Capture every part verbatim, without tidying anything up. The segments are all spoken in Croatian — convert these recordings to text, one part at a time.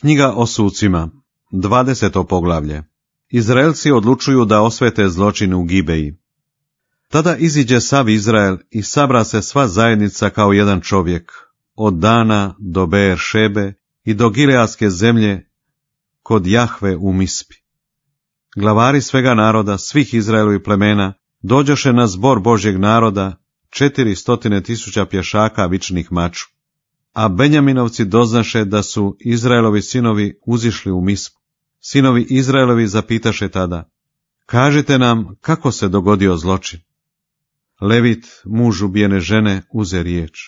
Knjiga o sucima, dvadeseto poglavlje. Izraelci odlučuju da osvete zločin u Gibeji. Tada iziđe sav Izrael i sabra se sva zajednica kao jedan čovjek, od Dana do Beer Šebe i do Gileadske zemlje kod Jahve u Mispi. Glavari svega naroda, svih Izraelovih plemena, dođoše na zbor Božjeg naroda, četiri stotine tisuća pješaka vičnih maču. A Benjaminovci doznaše da su Izraelovi sinovi uzišli u Mispu. Sinovi Izraelovi zapitaše tada: kažite nam kako se dogodio zločin. Levit, muž ubijene žene, uze riječ: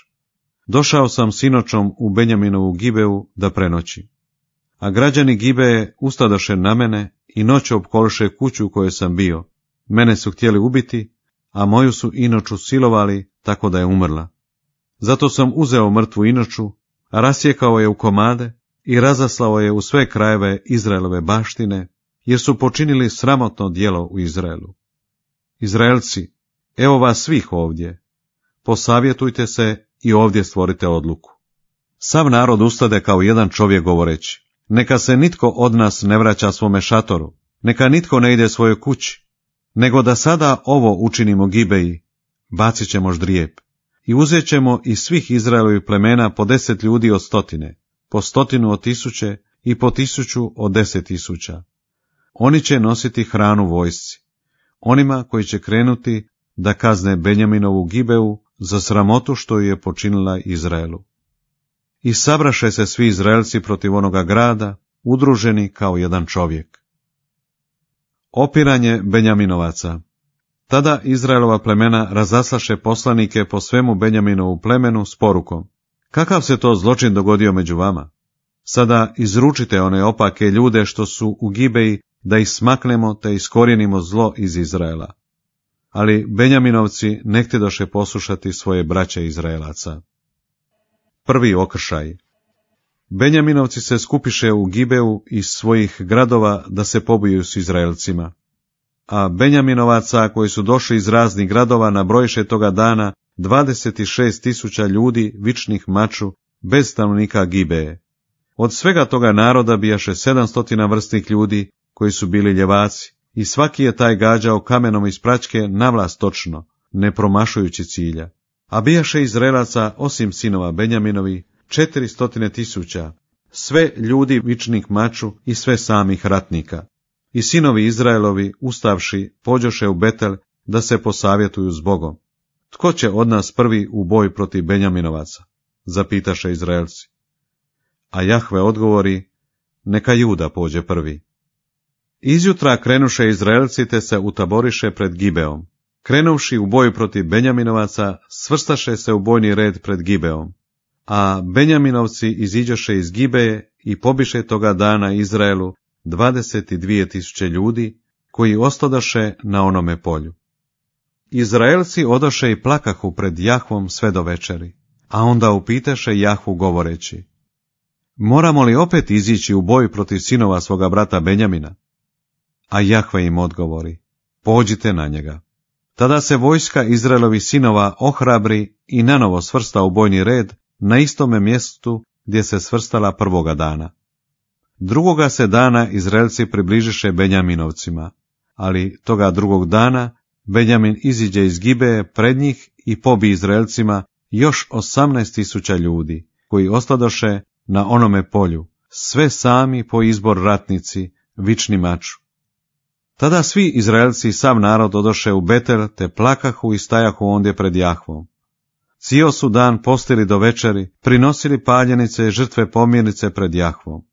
došao sam sinoćom u Benjaminovu Gibeu da prenoći. A građani Gibeje ustadoše na mene i noću opkoliše kuću u kojoj sam bio. Mene su htjeli ubiti, a moju su inoću silovali tako da je umrla. Zato sam uzeo mrtvu inoću, rasjekao je u komade i razaslao je u sve krajeve Izraelove baštine, jer su počinili sramotno djelo u Izraelu. Izraelci, evo vas svih ovdje, posavjetujte se i ovdje stvorite odluku. Sav narod ustade kao jedan čovjek govoreći: neka se nitko od nas ne vraća svome šatoru, neka nitko ne ide svojoj kući, nego da sada ovo učinimo Gibeji, bacit ćemo ždrijeb. I uzet ćemo iz svih Izraelovih plemena po deset ljudi od stotine, po stotinu od tisuće i po tisuću od deset tisuća. Oni će nositi hranu vojsci, onima koji će krenuti da kazne Benjaminovu Gibeu za sramotu što ju je počinila Izraelu. I sabraše se svi Izraelci protiv onoga grada, udruženi kao jedan čovjek. Opiranje Benjaminovaca. Tada Izraelova plemena razaslaše poslanike po svemu Benjaminovu plemenu s porukom: kakav se to zločin dogodio među vama? Sada izručite one opake ljude što su u Gibeji, da ih smaknemo te iskorijenimo zlo iz Izraela. Ali Benjaminovci ne htjedoše poslušati svoje braće Izraelaca. Prvi okršaj. Benjaminovci se skupiše u Gibeu iz svojih gradova da se pobiju s Izraelcima. A Benjaminovaca koji su došli iz raznih gradova nabrojiše toga dana dvadeset šest tisuća ljudi vičnih maču bez stanovnika Gibeje. Od svega toga naroda bijaše sedamstotina vrstnih ljudi koji su bili ljevaci, i svaki je taj gađao kamenom iz praćke navlas točno, ne promašujući cilja. A bijaše Izraelaca, osim sinova Benjaminovi, četiri stotine tisuća, sve ljudi vičnih maču i sve samih ratnika. I sinovi Izraelovi, ustavši, pođoše u Betel da se posavjetuju s Bogom. Tko će od nas prvi u boj protiv Benjaminovaca? Zapitaše Izraelci. A Jahve odgovori: neka Juda pođe prvi. Izjutra krenuše Izraelci te se utaboriše pred Gibeom. Krenuvši u boj protiv Benjaminovaca, svrstaše se u bojni red pred Gibeom. A Benjaminovci iziđoše iz Gibeje i pobiše toga dana Izraelu dvadeset dvije tisuće ljudi, koji ostadoše na onome polju. Izraelci odoše i plakahu pred Jahvom sve do večeri, a onda upiteše Jahvu govoreći: moramo li opet izići u boj protiv sinova svoga brata Benjamina? A Jahve im odgovori: pođite na njega. Tada se vojska Izraelovih sinova ohrabri i nanovo svrsta u bojni red na istome mjestu gdje se svrstala prvoga dana. Drugoga se dana Izraelci približiše Benjaminovcima, ali toga drugog dana Benjamin iziđe iz Gibeje pred njih i pobi Izraelcima još osamnaest tisuća ljudi, koji ostadoše na onome polju, sve sami po izbor ratnici, vični maču. Tada svi Izraelci i sav narod odoše u Betel, te plakahu i stajahu ondje pred Jahvom. Cijel su dan postili do večeri, prinosili paljenice i žrtve pomirnice pred Jahvom.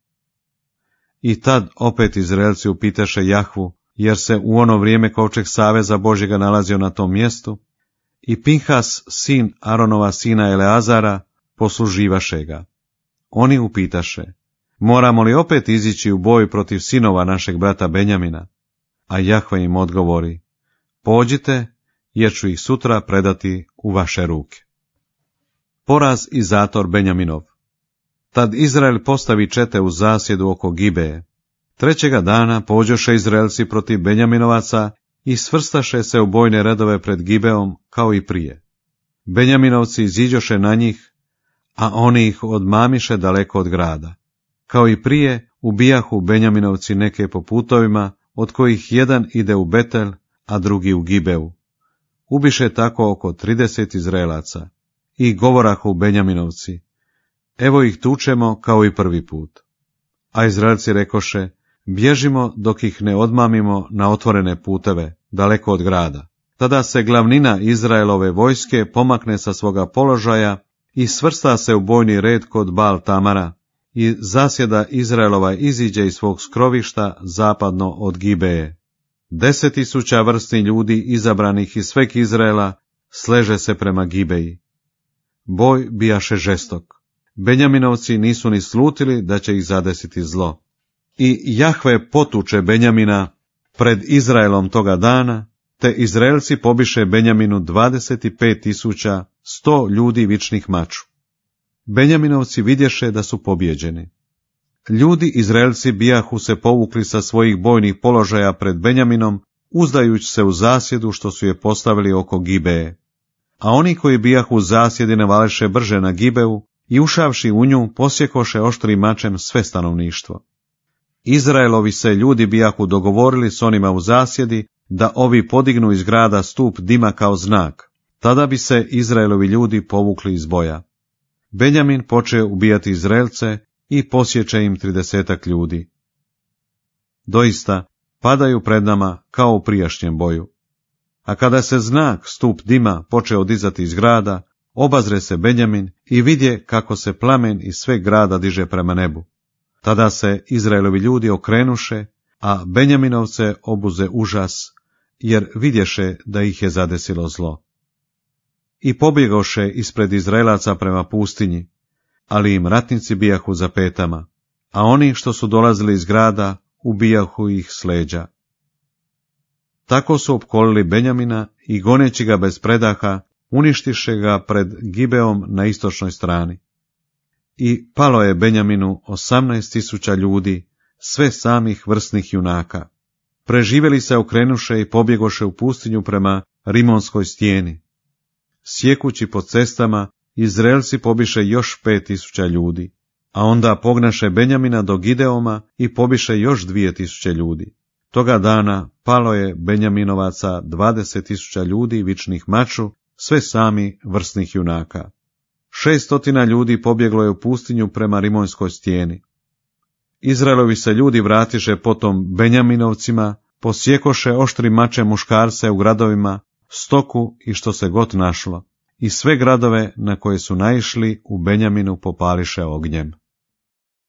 I tad opet Izraelci upitaše Jahvu, jer se u ono vrijeme kovčeg saveza Božjega nalazio na tom mjestu, i Pinhas, sin Aronova sina Eleazara, posluživaše ga. Oni upitaše: moramo li opet izići u boj protiv sinova našeg brata Benjamina? A Jahve im odgovori: pođite, jer ću ih sutra predati u vaše ruke. Poraz i zator Benjaminov. Tad Izrael postavi čete u zasjedu oko Gibeje. Trećega dana pođoše Izraelci protiv Benjaminovaca i svrstaše se u bojne redove pred Gibeom kao i prije. Benjaminovci iziđoše na njih, a oni ih odmamiše daleko od grada. Kao i prije, ubijahu Benjaminovci neke po putovima, od kojih jedan ide u Betel, a drugi u Gibeu. Ubiše tako oko trideset Izraelaca. I govorahu Benjaminovci, evo ih tučemo kao i prvi put. A Izraelci rekoše, bježimo dok ih ne odmamimo na otvorene puteve, daleko od grada. Tada se glavnina Izraelove vojske pomakne sa svoga položaja i svrsta se u bojni red kod Baal Tamara, i zasjeda Izraelova iziđe iz svog skrovišta zapadno od Gibeje. Deset tisuća vrstni ljudi izabranih iz sveg Izraela sleže se prema Gibeji. Boj bijaše žestok. Benjaminovci nisu ni slutili da će ih zadesiti zlo. I Jahve potuče Benjamina pred Izraelom toga dana, te Izraelci pobiše Benjaminu dvadeset pet tisuća sto ljudi vičnih maču. Benjaminovci vidješe da su pobjeđeni. Ljudi Izraelci bijahu se povukli sa svojih bojnih položaja pred Benjaminom, uzdajući se u zasjedu što su je postavili oko Gibeje. A oni koji bijahu u zasjedi navaleše brže na Gibeu i ušavši u nju posjekoše oštrim mačem sve stanovništvo. Izraelovi se ljudi bijahu dogovorili s onima u zasjedi da ovi podignu iz grada stup dima kao znak, tada bi se Izraelovi ljudi povukli iz boja. Benjamin poče ubijati Izraelce i posječe im tridesetak ljudi. Doista, padaju pred nama kao u prijašnjem boju. A kada se znak stup dima počeo dizati iz grada, obazre se Benjamin i vidje kako se plamen iz sveg grada diže prema nebu. Tada se Izraelovi ljudi okrenuše, a Benjaminovce obuze užas, jer vidješe da ih je zadesilo zlo. I pobjegoše ispred Izraelaca prema pustinji, ali im ratnici bijahu za petama, a oni što su dolazili iz grada ubijahu ih s leđa. Tako su opkolili Benjamina i goneći ga bez predaha, uništiše ga pred Gibeom na istočnoj strani. I palo je Benjaminu osamnaest tisuća ljudi, sve samih vrsnih junaka. Preživjeli se okrenuše i pobjegoše u pustinju prema Rimonskoj stijeni. Sjekući po cestama, Izraelci pobiše još pet tisuća ljudi, a onda pognaše Benjamina do Gideoma i pobiše još dvije tisuće ljudi. Toga dana palo je Benjaminovaca dvadeset tisuća ljudi vičnih maču, sve sami vrsnih junaka. Šestotina ljudi pobjeglo je u pustinju prema Rimonskoj stijeni. Izraelovi se ljudi vratiše potom Benjaminovcima, posjekoše oštrim mačem muškarce u gradovima, stoku i što se god našlo, i sve gradove na koje su naišli u Benjaminu popališe ognjem.